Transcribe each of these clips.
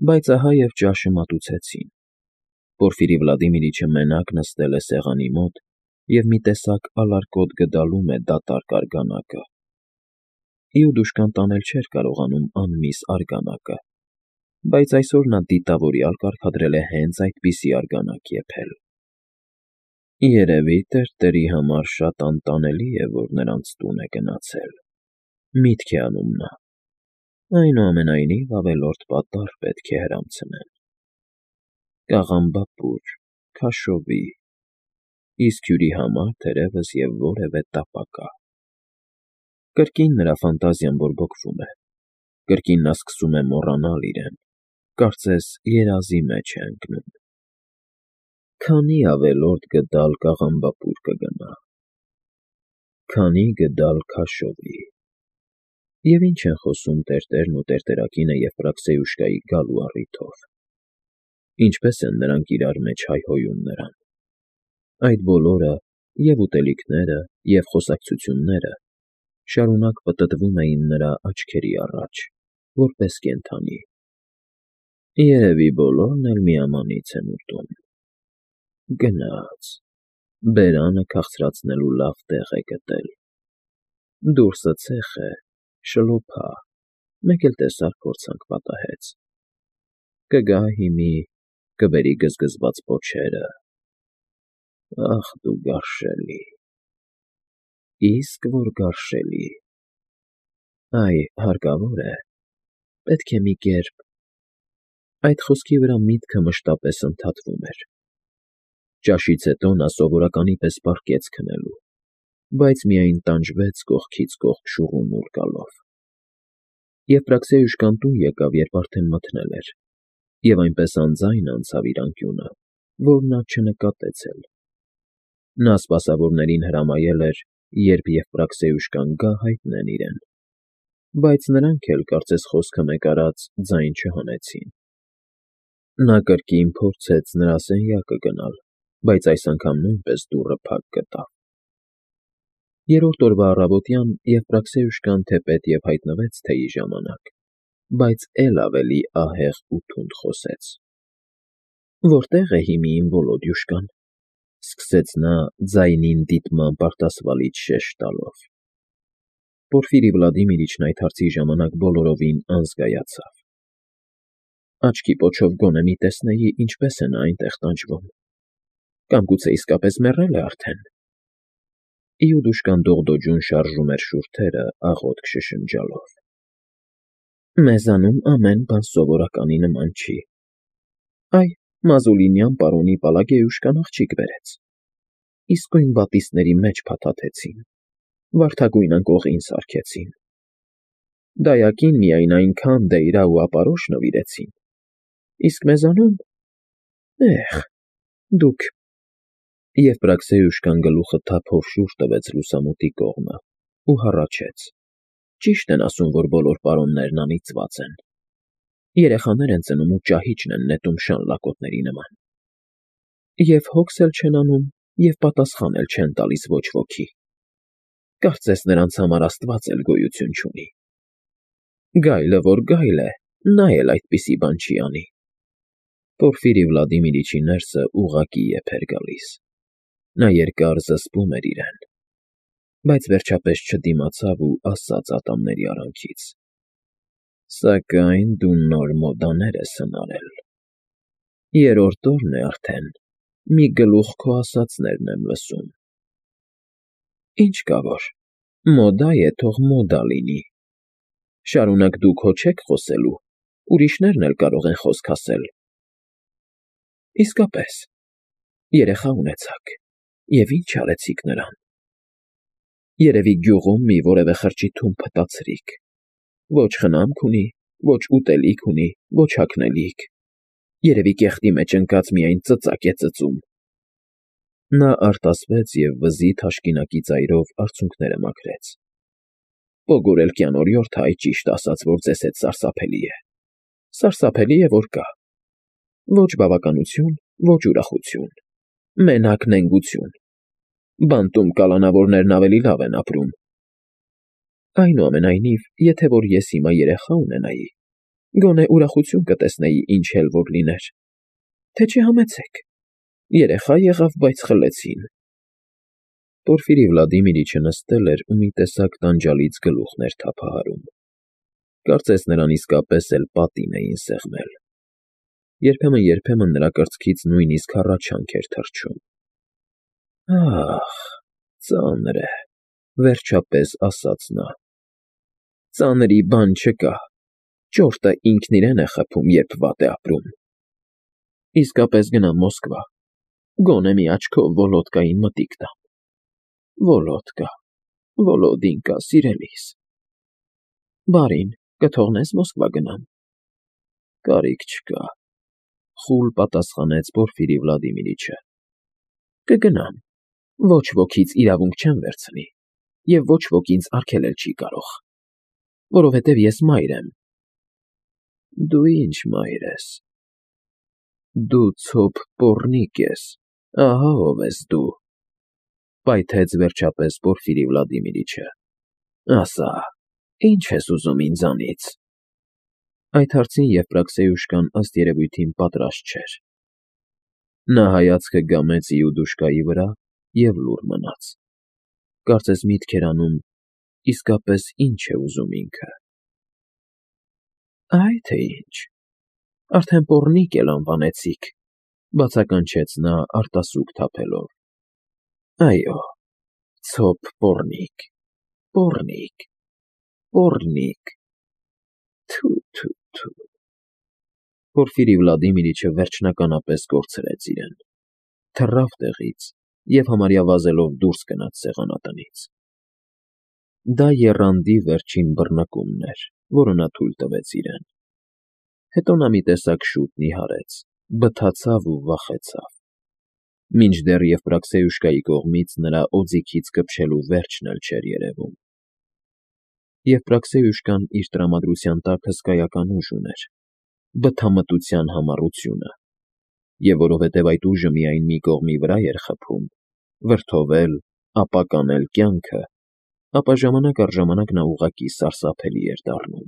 Բայց ահա և ճաշը մատուցեցին։ Պորֆիրի Վլադիմիրիչը մենակ նստել է սեղանի մոտ և մի տեսակ ալարկոտ գդալում է դատարկ արգանակը։ Իուդուշկան տանել չէր կարողանում անմիս արգանակը, բայց այսօր նա դիտավորյալ կարգադրել է հենց այդպիսի արգանակ եփել։ Երևի տերտերի համար շատ անտանելի է, որ նրանց տուն է գնացել, միտք է անում նա, այնուամենայնիվ ավելորդ պատառ պետք է հրամցնեն։ Կաղամբապուր, քաշովի, իսկ հյուրի համար թերևս և որևէ տապակա։ Կրկին նրա ֆանտազիան բորբոքվում է, կրկին նա սկսում է մոռանալ իրեն, կարծես երազի մեջ է ընկնում։ Քանի՞ ավելորդ գդալ կաղամբապուր կգնա, քանի՞ գդալ քաշովի, և ինչ են խոսում տերտերն ու տերտերակինը Եֆրաքսեյուշկայի գալու առիթով, ինչպես են նրանք իրար մեջ հայհոյում նրան։ Այդ բոլորը, և ուտելիքները, և խոսակցությունները շարունակ պտտվում էին նրա աչքերի առաջ, որպես կենդանի։ Երևի բոլորն էլ միամանից են ուտում։ Գնաց, բերանը քաղցրացնելու լավ տեղ է գտել։ Դուրսը ցեխ է, շլոփա, մեկ էլ տեսար փորձանք պատահեց։ Կգա հիմի, կբերի գզգզված պոչերը։ Ախ դու գարշելի, իսկ որ գարշելի։ Այ, հարկավոր է, պետք է մի կերպ… Այդ խոսքի վրա միտքը մշտապես ընդհատվում էր։ Ճաշից հետո նա սովորականի պես պառկեց քնելու, բայց միայն տանջվեց կողքից կողք շուռումուռ գալով։ Եֆրաքսեյուշկան տուն եկավ, երբ արդեն մթնել էր, և այնպես անձայն անցավ իր անկյունը, որ նա չնկատեց էլ։ Նա սպասավորներին հրամայել էր, երբ Եֆրաքսեյուշկան գա, հայտնեն իրեն, բայց նրանք էլ, կարծես խոսքը մեկ արած, ձայն չհանեցին։ Նա կրկին փորձեց նրա սենյակը գնալ, բայց այս անգամ նույնպես դուռը փակ գտավ։ Երրորդ օրվա առավոտյան Եֆրաքսեյուշկան թեպետ և հայտնվեց թեյի ժամանակ, բայց էլ ավելի ահեղ ու թունդ խոսեց։ Որտե՞ղ է հիմի իմ Վոլոդյուշկան, սկսեց նա ձայնին դիտմամբ արտասվալից շեշ տալով։ Պորֆիրի Վլադիմիրիչն այդ հարցի ժամանակ բոլորովին անզգայացավ։ Աչքի պոչով գոնե մի տեսնեի, ինչպես է նա այնտեղ տանջվում, կամ գուցե իսկապես մեռել է արդեն։ Իուդուշկան դողդոջուն շարժում էր շուրթերը, աղոթք շշնջալով։ Մեզանում ամեն բան սովորականի նման չի։ Այ, Մազուլինյան պարոնի Պալագեյուշկան աղջիկ բերեց։ Իսկույն բատիստների մեջ փաթաթեցին, վարդագույն անկողին սարքեցին։ Դայակին միայն այնքան դեյրա ու ապարոշ նվիրեցին, իսկ մեզանում… Էհ, դուք… Եֆրաքսեյուշկան գլուխը թափով շուռ տվեց լուսամուտի կողմը ու հառաչեց. Ճիշտ են ասում, որ բոլոր պարոններն անիծված են։ Երեխաներ են ծնում ու ճահիճն են նետում շան լակոտների նման։ Եվ հոգս էլ չեն անում, և պատասխան էլ չեն տալիս ոչ ոքի։ Կարծես նրանց համար Աստված էլ գոյություն չունի։ Գայլը որ գայլ է, նա էլ այդպիսի բան չի անի։ Պորֆիրի Վլադիմիրիչի ներսը ուղղակի եփ էր գալիս։ Նա երկար զսպում էր իրեն, բայց վերջապես չդիմացավ ու ասաց ատամների արանքից. Սակայն դու նոր մոդաներ ես հնարել։ Երրորդ օրն է արդեն, մի գլուխ քո ասածներն եմ լսում։ Ինչ կա որ, մոդա է, թող մոդա լինի։ Շարունակ դուք հո չեք խոսելու, ուրիշներն էլ կարող են խոսք ասել։ Իսկապես, երեխա ունեցաք, և ինչ արեցիք նրան։ Երևի գյուղում մի որևէ խրճիթում փտացրիք։ Ոչ խնամք ունի, ոչ ուտելիք ունի, ոչ հագնելիք։ Երևի կեղտի մեջ ընկած միայն ծծակ է ծծում։ Նա արտասվեց և վզի թաշկինակի ծայրով արցունքները մաքրեց։ Պոգորելկյան օրիորդը այ ճիշտ ասաց, որ ձեզ հետ սարսափելի է։ Սարսափելի է, որ կա։ Ոչ բավականություն, ոչ ուրախություն, մենակ նենգություն։ Բանտում կալանավորներն ավելի լավ են ապրում։ Այնուամենայնիվ, եթե որ ես հիմա երեխա ունենայի, Գոնե ուրախություն կտեսնեի, ինչ էլ որ լիներ, թե չէ համեցեք, երեխա եղավ, բայց խլեցին։ Պորֆիրի Վլադիմիրիչը նստել էր ու մի տեսակ տանջալից գլուխն էր թափահարում։ Կարծես նրան իսկապես էլ պատին էին սեղմել։ Երբեմն նրա կրծքից նույնիսկ հառաչանք էր թռչում։ Ահ, ծանր է, վերջապես ասաց նա։ Ծանրի բան չկա, ճորտը ինքն իրեն է խփում, երբ վատ է ապրում։ Իսկապես գնամ Մոսկվա, գոնե մի աչքով Վոլոդկային մտիկ տամ։ Վոլոդկա, Վոլոդինկա, սիրելիս։ Բարին, կթողնես Մոսկվա գնամ։ Կարիք չկա, խուլ պատասխանեց Պորֆիրի Վլադիմիրիչը։ Կգնամ, ոչ ոքից իրավունք չեմ վերցնի, և ոչ ոք ինձ արգելել չի կարող, որովհետև ես մայր եմ։ Դու ինչ մայր ես։ Դու ցոփ պոռնիկ ես, ահա ով ես դու, պայթեց վերջապես Պորֆիրի Վլադիմիրիչը։ Ասա, ինչ ես ուզում ինձանից։ Այդ հարցին Եվպրաքսեյուշկան ըստ երևույթին պատրաստ չէր։ Նա հայացքը գամեց Իուդուշկայի վրա և լուռ մնաց։ Կարծես միտք էր անում, իսկապես ինչ է ուզում ինքը։ Այ թե ինչ, արդեն պոռնիկ էլ անվանեցիք, բացականչեց նա արտասուք թափելով։ Այո, ցոփ պոռնիկ, պոռնիկ, պոռնիկ, թու։ Պորֆիրի Վլադիմիրիչը վերջնականապես կորցրեց իրեն, թռավ տեղից և համարյա վազելով դուրս գնաց սեղանատնից։ Դա եռանդի վերջին բռնկումն էր, որը նա թույլ տվեց իրեն։ Հետո նա մի տեսակ շուտ նիհարեց, բթացավ ու վախեցավ։ Մինչդեռ Եվպրաքսեյուշկայի կողմից նրա օձիքից կպչելու վերջն էլ չէր երևում։ Եվպրաքսեյուշկան իր տրամադրության տակ հսկայական ուժ ուներ, բթամտության համառությունը, և որովհետև այդ ուժը միայն մի կողմի վրա էր խփում, վրդովել, ապականել կյանքը, ապա ժամանակ առ ժամանակ նա ուղղակի սարսափելի էր դառնում։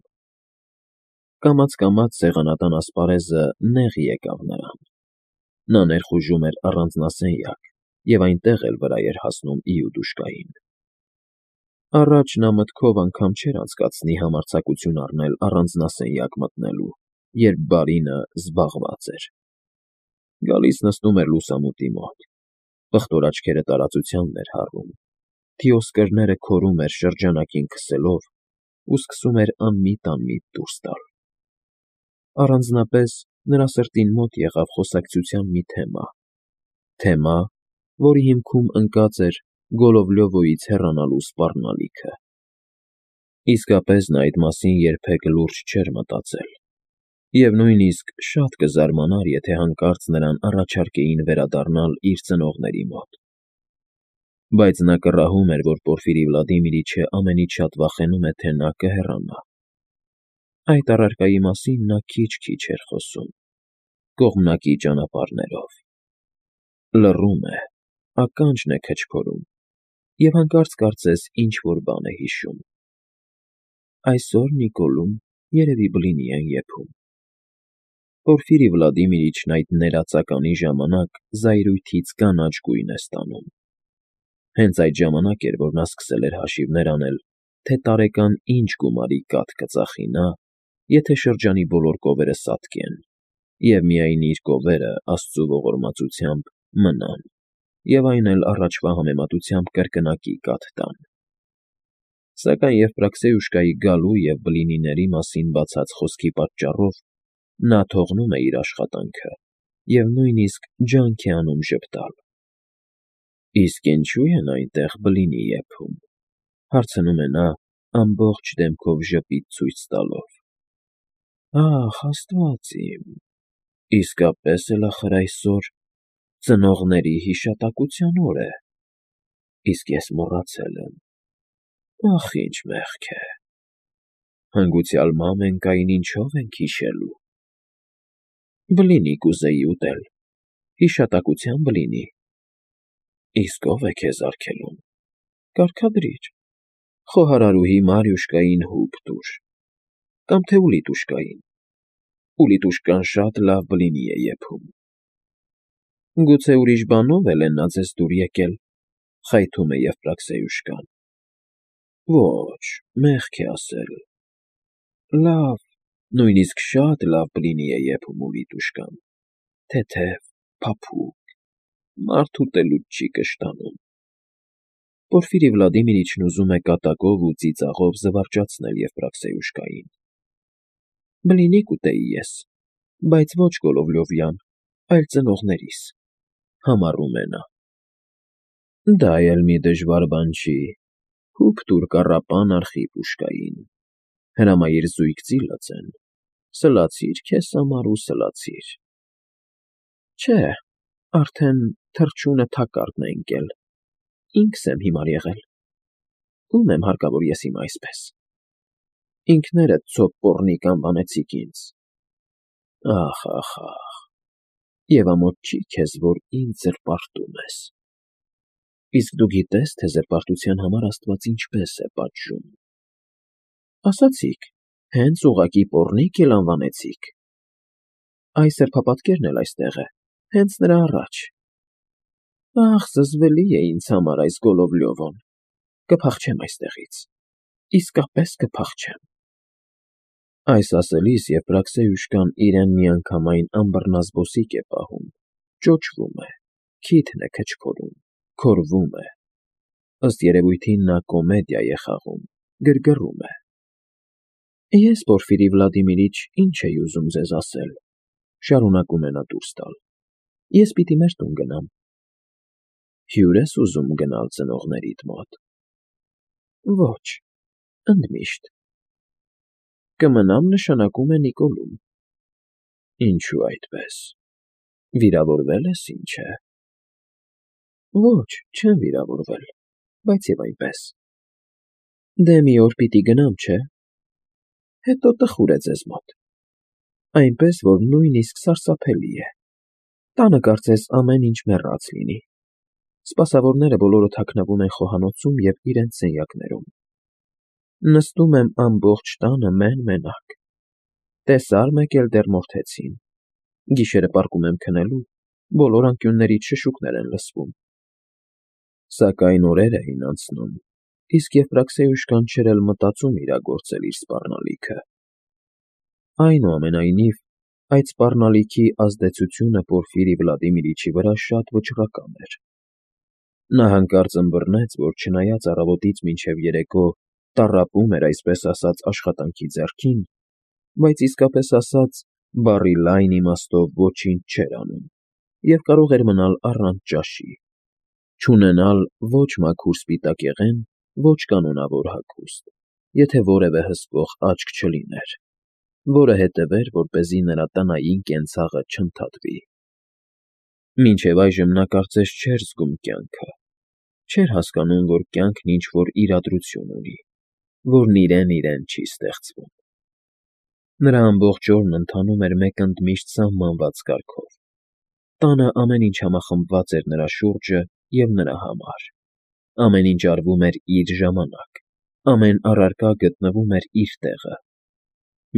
Կամաց սեղանատան ասպարեզը նեղ եկավ նրան։ Նա ներխուժում էր առանձնասենյակ և այնտեղ էլ վրա էր հասնում Իուդուշկային։ Առաջ նա մտքով անգամ չէր անցկացնի համարձակություն առնել առանձնասենյակ մտնելու, երբ բարինը զբաղված էր։ Գալիս նստում էր լուսամուտի մոտ, պղտոր աչքերը տարածության էր հառում, թիոսկրները քորում էր շրջանակին քսելով ու սկսում էր անմիտ դուրս տալ։ Առանձնապես նրա սրտին մոտ եղավ խոսակցության մի թեմա, որի հիմքում ընկած էր Գոլովլյովոյից հեռանալու սպառնալիքը։ Իսկապես նա այդ մասին երբեք լուրջ չէր մտածել, և նույնիսկ շատ կզարմանար, եթե հանկարծ նրան առաջարկեին վերադառնալ իր ծնողների մոտ։ Բայց նա կռահում էր, որ Պորֆիրի Վլադիմիրիչը ամենից շատ վախենում է, թե նա կհեռանա։ Այդ առարկայի մասին նա քիչ էր խոսում, կողմնակի ճանապարհներով։ Լռում է, ականջն է քչփորում և հանկարծ կարծես ինչ֊որ բան է հիշում։ Այսօր Նիկոլում երևի բլինի են եփում։ Պորֆիրի Վլադիմիրիչն այդ ներածականի ժամանակ զայրույթից կանաչ գույն է ստանում։ Հենց այդ ժամանակ էր, որ նա սկսել էր հաշիվներ անել, թե տարեկան ինչ գումարի կաթ կծախի նա, եթե շրջանի բոլոր կովերը սատկեն, և միայն իր կովերը, Աստծու ողորմածությամբ, մնան, և այն էլ առաջվա համեմատությամբ կրկնակի կաթ տան։ Սակայն Եվպրաքսեյուշկայի գալու և բլինիների մասին բացած խոսքի պատճառով նա թողնում է իր աշխատանքը և նույնիսկ ջանք է անում ժպտալ։ Իսկ ինչու են այնտեղ բլինի եփում, հարցնում է նա ամբողջ դեմքով ժպիտ ցույց տալով։ Ահ, Աստված իմ, իսկապես էլ ախր այսօր ծնողների հիշատակության օր է, իսկ ես մոռացել եմ։ Ախ, ինչ մեղք է։ Հանգուցյալ մամենկային ինչո՞վ ենք հիշելու։ Բլինի կուզեի ուտել, հիշատակության բլինի։ Իսկ ո՞վ է քեզ արգելում։ Կարգադրի՛ր, խոհարարուհի Մարյուշկային հուպ տուր, կամ թե Ուլիտուշկային, ու Լիտուշկան շատ լավ բլինի է եփում։ Գուցե ուրիշ բանով էլ է նա ձեզ դուր եկել, խայթում է Եվպրաքսիոյուշկան։ Ոչ, մեղք է ասել։ Լավ, նույնիսկ շատ լավ բլինի է եփում ու Լիտուշկան, թեթև, փափուկ, մարդ ուտելուց չի կշտանում։ Պորֆիրի Վլադիմիրիչն ուզում է կատակով ու ծիծաղով զվարճացնել Եվպրաքսիոյուշկային։ Բլինի կուտեի ես, բայց ոչ Գոլովլյովյան, այլ ծնողներիս, համառում է նա։ Դա էլ մի դժվար բան չի, հուպ տուր կառապան Արխիպուշկային, հրամայիր զույգ ծիլացեն, սլացիր քեզ համար ու սլացիր։ Չէ, արդեն թռչունը թակարդն է ընկել, ինքս եմ հիմար եղել, ում եմ հարկավոր ես հիմա այսպես։ Ինքներդ ցոփ պոռնիկ անվանեցիք ինձ։ Ախ, և ամոթ չի քեզ, որ ինձ զրպարտում ես։ Իսկ դու գիտես, թե զրպարտության համար Աստված ինչպես է պատժում։ Ասացիք, հենց ուղղակի պոռնիկ էլ անվանեցիք։ Այս սրբապատկերն էլ այստեղ է, հենց նրա առաջ։ Ախ, զզվելի է ինձ համար այս Գոլովլյովոն, կփախչեմ այստեղից, իսկապես կփախչեմ։ Այս ասելիս Եվպրաքսիոյուշկան իրեն միանգամայն անբռնազբոսիկ է պահում, ճոճվում է, քիթն է քչփորում, քորվում է։ Ըստ երևույթին նա կոմեդիա է խաղում, գրգռում է։ Ես, Պորֆիրի Վլադիմիրիչ, ինչ էի ուզում ձեզ ասել, շարունակում է նա դուրս տալ։ Ես պիտի մեր տուն գնամ։ Հյուր ես ուզում գնալ ծնողներիդ մոտ։ Ոչ, ընդմիշտ։ Կմնամ նշանակում է Նիկոլում։ Ինչու այդպես։ Վիրավորվել ես, ինչ է։ Ոչ, չեմ վիրավորվել, բայց և այնպես։ Դե մի օր պիտի գնամ, չէ։ Հետո տխուր է ձեզ մոտ։ Այնպես, որ նույնիսկ սարսափելի է։ Տանը կարծես ամեն ինչ մեռած լինի։ Սպասավորները բոլորը թաքնվում են խոհանոցում և իրենց սենյակներում։ Նստում եմ ամբողջ տանը մեն֊մենակ։ Տեսար մեկ էլ դեռ մորթեցին։ Գիշերը պառկում եմ քնելու, բոլոր անկյուններից շշուկներ են լսվում։ Սակայն օրեր էին անցնում, իսկ Եվպրաքսիոյուշկան չէր էլ մտածում իրագործել իր սպառնալիքը։ Այնուամենայնիվ, այդ սպառնալիքի ազդեցությունը Պորֆիրի Վլադիմիրիչի վրա շատ վճռական էր։ Նա հանկարծ ըմբռնեց, որ չնայած առավոտից մինչև երեկո տառապում էր այսպես ասած աշխատանքի ձեռքին, բայց իսկապես ասած բառի լայն իմաստով ոչինչ չէր անում և կարող էր մնալ առանց ճաշի, չունենալ ոչ մաքուր սպիտակեղեն, ոչ կանոնավոր հագուստ, եթե որևէ հսկող աչք չլիներ, որը հետևեր, որպեսզի նրա տնային կենցաղը չընդհատվի։ Մինչև այժմ նա կարծես չէր զգում կյանքը, չէր հասկանում, որ կյանքն ինչ-որ իրադրություն ունի, որն իրեն չի ստեղծվում։ Նրա ամբողջ օրն ընթանում էր մեկ ընդմիշտ սահմանված կարգով։ Տանը ամեն ինչ համախմբված էր նրա շուրջը և նրա համար։ Ամեն ինչ արվում էր իր ժամանակ, ամեն առարկա գտնվում էր իր տեղը։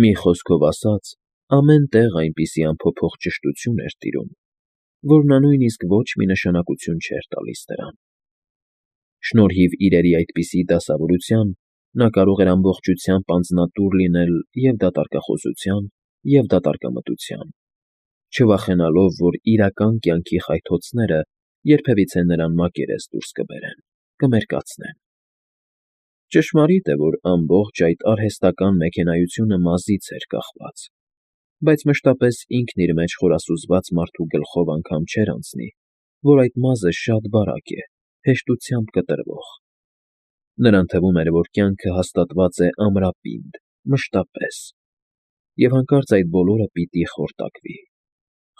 Մի խոսքով ասած, ամեն տեղ այնպիսի անփոփոխ ճշտություն էր տիրում, որ նա նույնիսկ ոչ մի նշանակություն չէր տալիս դրան։ Շնորհիվ իրերի այդպիսի դասավորության նա կարող էր ամբողջությամբ անձնատուր լինել և դատարկախոսության, և դատարկամտության, չվախենալով, որ իրական կյանքի խայթոցները երբևիցե նրան մակերես դուրս կբերեն, կմերկացնեն։ Ճշմարիտ է, որ ամբողջ այդ արհեստական մեքենայությունը մազից էր կախված, բայց մշտապես ինքն իր մեջ խորասուզված մարդու գլխով անգամ չէր անցնի, որ այդ մազը շատ բարակ է, հեշտությամբ կտրվող։ Նրան թվում էր, որ կյանքը հաստատված է ամրապինդ, մշտապես, և հանկարծ այդ բոլորը պիտի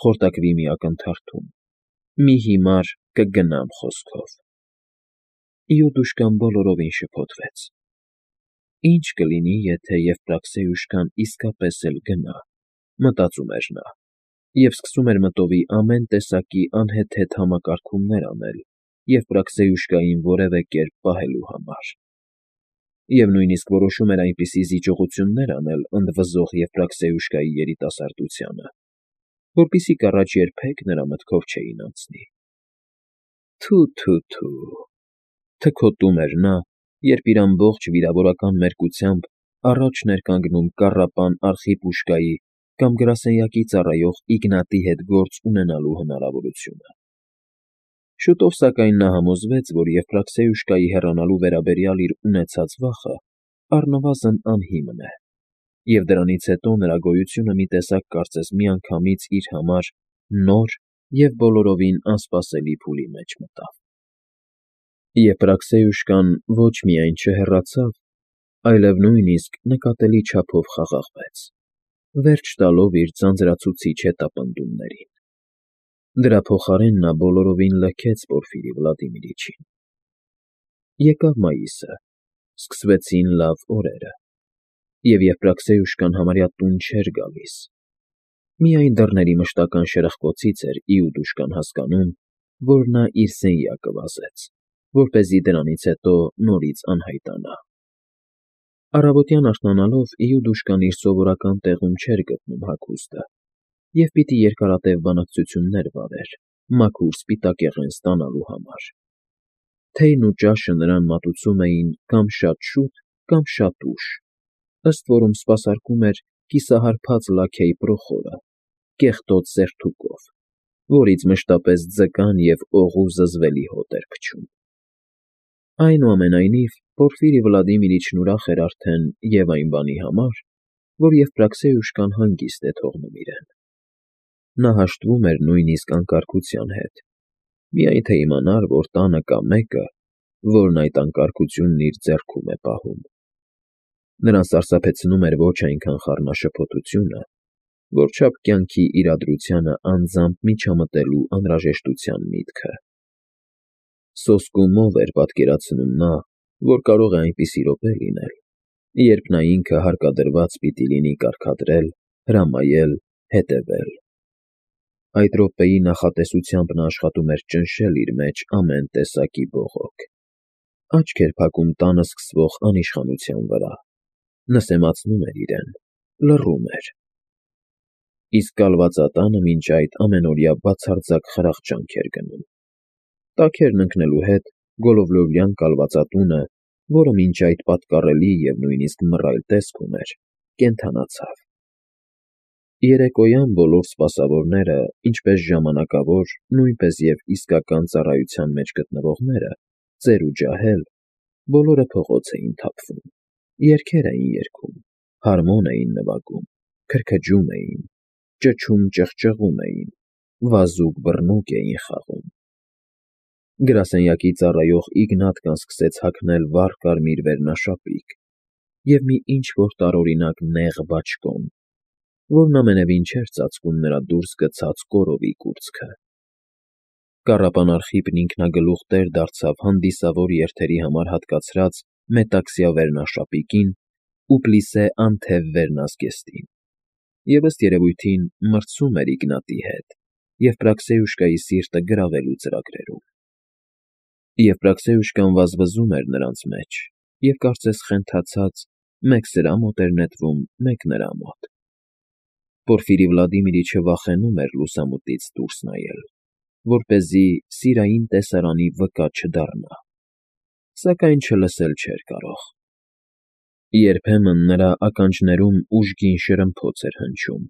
խորտակվի մի ակնթարթում, մի հիմար «կգնամ» խոսքով։ Իուդուշկան բոլորովին շփոթվեց։ Ինչ կլինի, եթե Եվպրաքսիոյուշկան իսկապես էլ գնա, մտածում էր նա, և սկսում էր մտովի ամեն տեսակի անհեթեթ համակարգումներ անել Եվպրաքսիոյուշկային որևէ կերպ պահելու համար։ Եվ նույնիսկ որոշում էր այնպիսի զիջողություններ անել ընդվզող Եվպրաքսեուշկայի երիտասարդությանը, որպիսի կառաջ երբեք նրա մտքով չէին անցնի։ Թու, թքոտում էր նա, երբ իր ամբողջ վիրավորական մերկությամբ առաջն էր կանգնում կառապան արխիպուշկայի կամ գրասենյակի ծառայող Իգնատի հետ գործ ունենալու հնարավորությունը։ Շուտով, սակայն, նա համոզվեց, որ Եվպրաքսեուշկայի հեռանալու վերաբերյալ իր ունեցած վախը առնվազն անհիմն է, և դրանից հետո նրա գոյությունը մի տեսակ կարծես միանգամից իր համար նոր և բոլորովին անսպասելի փուլի մեջ մտավ։ Եվպրաքսեուշկան ոչ միայն չհեռացավ, այլև նույնիսկ նկատելի չափով խաղաղվեց, վերջ տալով իր ձանձրացուցիչ հետապնդումներին։ Դրա փոխարեն նա բոլորովին լքեց Պորֆիրի Վլադիմիրիչին։ Եկավ մայիսը, սկսվեցին լավ օրերը, և Եվպրաքսեուշկան համարյա տուն չէր գալիս։ Միայն դռների մշտական շրխկոցից էր Իուդուշկան հասկանում, որ նա իր սենյակը վազեց, որպեսզի դրանից հետո նորից անհայտանա։ Առավոտյան արթնանալով Իուդուշկան իր սովորական տեղում չէր գտնում հագուստը և պիտի երկարատև բանակցություններ վարեր մաքուր սպիտակեղեն ստանալու համար։ Թեյն ու ճաշը նրան մատուցում էին կամ շատ շուտ, կամ շատ ուշ, ըստ որում սպասարկում էր կիսահարբած լաքեյ Պրոխորը, կեղտոտ սերթուկով, որից մշտապես ձկան և օղու զզվելի հոտ էր փչում։ Այնուամենայնիվ, Պորֆիրի Վլադիմիրիչն ուրախ էր արդեն և այն բանի համար, որ Եվպրաքսեուշկան հանգիստ է թողնում իրեն։ Նա հաշտվում էր նույնիսկ անկարգության հետ, միայն թե իմանար, որ տանը կա մեկը, որն այդ անկարգությունն իր ձեռքում է պահում։ Նրան սարսափեցնում էր ոչ այնքան խառնաշփոթությունը, որչափ կյանքի իրադրությանը անձամբ միջամտելու անհրաժեշտության միտքը։ Սոսկումով էր պատկերացնում նա, որ կարող է այնպիսի րոպե լինել, երբ նա ինքը հարկադրված պիտի լինի կարգադրել, հրամայել, հետևել։ Այդ րոպեի նախատեսությամբ նա աշխատում էր ճնշել իր մեջ ամեն տեսակի բողոք, աչք էր փակում տանը սկսվող անիշխանության վրա, նսեմացնում էր իրեն, լռում էր։ Իսկ կալվածատանը մինչ այդ ամենօրյա բացարձակ խրախճանք էր գնում։ Տաքերն ընկնելու հետ գոլովլովյան կալվածատունը, որը մինչ այդ պատկառելի և նույնիսկ մռայլ տեսք ուներ, կենդանացավ։ Երեկոյան բոլոր սպասավորները, ինչպես ժամանակավոր, նույնպես և իսկական ծառայության մեջ գտնվողները, ծեր ու ջահել, բոլորը փողոց էին թափվում, երգեր էին երգում, հարմոն էին նվագում, քրքջում էին, ճչում-ճղճղում էին, վազուկ֊բռնուկ էին խաղում։ Գրասենյակի ծառայող Իգնատկան սկսեց հագնել վառ կարմիր վերնաշապիկ և մի ինչ֊որ տարօրինակ նեղ բաճկոն, որն ամենևին չէր ծածկում նրա դուրս գցած կորովի կուրծքը։ Կառապան Արխիպն ինքնագլուխ տեր դարձավ հանդիսավոր երթերի համար հատկացրած մետաքսյա վերնաշապիկին ու պլիսե անթև վերնազգեստին, և ըստ երևույթին մրցում էր Իգնատի հետ Եվպրաքսեուշկայի սիրտը գրավելու ծրագրերում։ Եվպրաքսեուշկան վազվզում էր նրանց մեջ և կարծես խենթացած մեկ սրա մոտ էր նետվում, մեկ նրա մոտ։ Պորֆիրի Վլադիմիրիչը վախենում էր լուսամուտից դուրս նայել, որպեսզի սիրային տեսարանի վկա չդառնա, սակայն չլսել չէր կարող։ Երբեմն նրա ականջներում ուժգին շրմփոց էր հնչում։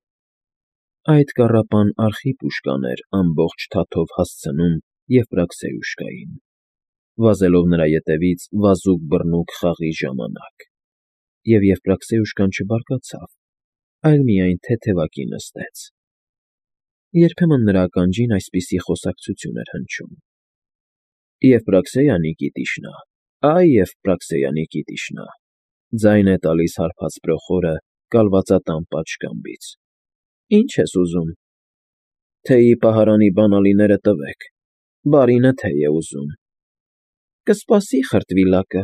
Այդ կառապան Արխիպուշկան էր ամբողջ թաթով հասցնում Եվպրաքսեուշկային, վազելով նրա ետևից վազուկ֊բռնուկ խաղի ժամանակ, և Եվպրաքսեուշկան չբարկացավ, այլ միայն թեթևակի նստեց։ Երբեմն նրա ականջին այսպիսի խոսակցություն էր հնչում. «Եվպրաքսեյա Նիկիտիշնա, այ Եվպրաքսեյա Նիկիտիշնա», ձայն է տալիս հարբած Պրոխորը կալվածատան պատշգամբից։ «Ի՞նչ ես ուզում»։ «Թեյի պահարանի բանալիները տվեք, բարինը թեյ է ուզում»։ «Կսպասի խրտվիլակը»։